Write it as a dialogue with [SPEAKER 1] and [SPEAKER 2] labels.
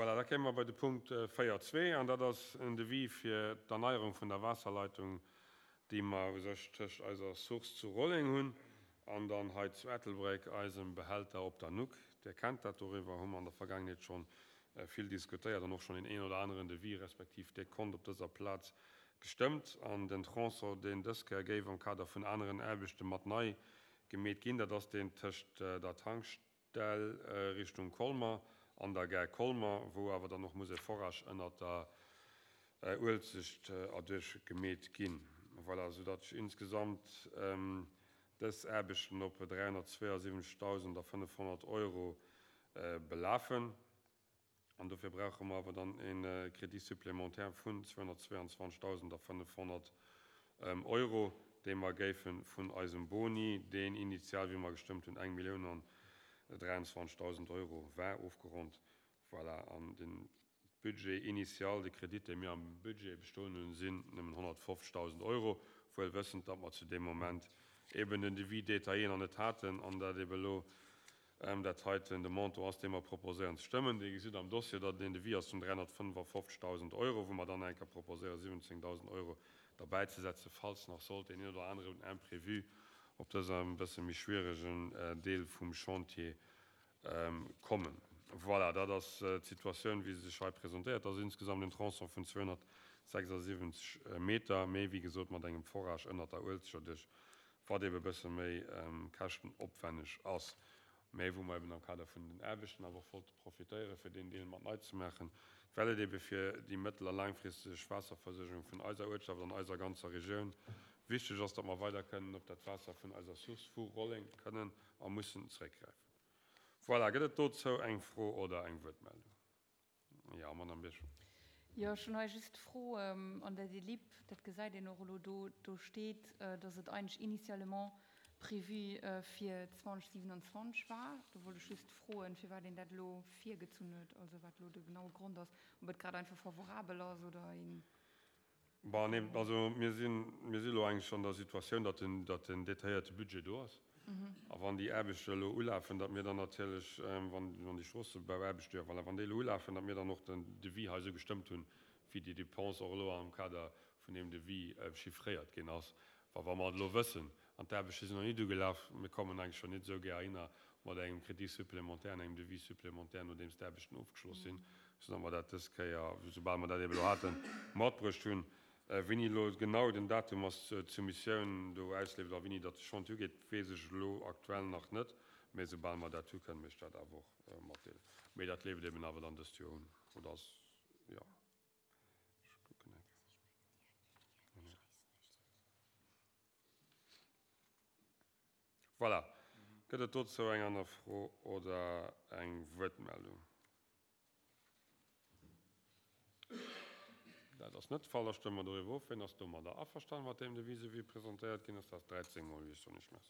[SPEAKER 1] Voilà, da kéime mer bei de Punkt 4.2, an dat ass en Devis fir d'Erneierung vun der Waasserleitung, déi mer u sech tëscht eiser Source zu Rolleng hunn an dann hei zu Ettelbréck, eisem Behälter op der Nuck. Dir kennt dat, doriwwer hu mer an der Vergaangenheet scho vill diskutéiert an och schonn een een oder aneren Devis respektiv Dekont op dëser Plaz gestëmmt. An den Tronçon, deen dës Kéier géif am Kader vun aneren Aarbechte mat nei gemeet ginn, dat ass deen tëscht der Tankstell, Dell Richtung Colmer an der Gare Colmer, wou awer dann och muss e Forage ënnert der Uelzecht erduerch gemeet ginn. Voilà, sou datt sech insgesamt dës Aarbechten op 372.500 Euro belafen. An dofir brauche mer awer dann e Crédit supplémentaire vun 222.500 Euro, dee mer géife vun eisem Boni, deen initial, wéi mer gestëmmt hunn, eng Millioun an 23.000 Euro war, ofgeronnt. Voilà, an de Budget initial, de Kredit, dee mir am Budget bestoen hunn, sinn nëmmen 150.000 Euro, wuel wëssend, datt mer zu deem Moment eben den Devis détaillé nach net haten an dat ebe elo Dat heiten de Montant ass, dee mer proposéieren ze stëmmen. Dir gesitt am Dossier, datt et een Devis ass vun 355.000 Euro, wou mer dann eng Kéier proposéieren, 17.000 Euro derbäizesetzen, falls nach sollt deen een oder aneren Imprévu op dësem e bësse méi schwieregen Deel vum Chantier kommen. Voilà, dat ass d'Situatioun, wéi se sech hei presentéiert. Dat ass insgesamt en Tronçon vun 276 Meter, mee wéi gesot mat engem Forage ënnert der Uelzecht erduerch wat ebe bësse méi käschtenopwänneg ass, mä wou mer eben am Kader vun den Aarbechten awer och wollte profitéieren, fir deen Deel mat nei ze maachen, well et ebe fir déi mëttel a laangfristeg Waasserversuergung vun eiser Uertschaft an eiser ganzer Regioun wichteg ass, datt mer weider kënnen op dat Waasser vun eiser Source vu Rolleng kënnen a mussen zréckgräifen. Voilà, gëtt et dozou eng Fro oder eng Wuertmeldung? Jo, Madame Birchen.
[SPEAKER 2] Jo, ech hunn hei just d'Fro, an der DLIP, dat gesäit een och elo do, do steet, dass et eigentlech initialement prévu fir 2027 war. Do wollt ech just froen, firwat een dat elo virgezunn huet, also wat elo de genaue Grond ass, ob et grad einfach favorabel ass oder een.
[SPEAKER 1] Bon, nee, also mir sinn, mir si elo eigentlech an der Situatioun, datt den, datt den detailléierte Budget do ass. A wann déi Aarbechte elo ulafen, datt mir dann natierlech, wann, wann déi Stroossebauaarbechte, jo voilà, wann déi elo ulafen, datt mir dann och den Devis hei esou gestëmmt hunn, wéi déi Dépense och elo am Kader vun deem Devis chiffréiert ginn ass. Wa, wa mer et elo wëssen, an d'Aarbechte sinn nach nit ugelaf, mir kommen eigentlech schonn nit esou gär heihinner mat engem Crédit supplémentaire an engem Devis supplémentaire, nodeems d'Aarbechten ofgeschloss sinn, soudatt mer dat dës Kéier, soubal mer dat ebe elo haten, matbruecht hunn. Wéini elo genau den Datum ass, d'Soumissioun do ausleeft a wéini datt de Chantier ugeet, weess ech elo aktuell nach net, mä soubal mer dat hu kënne mir iech dat awer och matdeelen. Mee dat leeft eben awer dann dëst Joer un, oder ass, jo. Ech kucken eng Kéier. Voilà. Gëtt et dozou eng aner Fro oder eng Wuertmeldung? Dat ass net de Fall. Da stëmme mer doriwwer of. Wien ass domadder averstanen, mat deem Devis, esou wéi e presentéiert ginn ass? Dat ass 13 mol, wéi ech soen. Ech merci.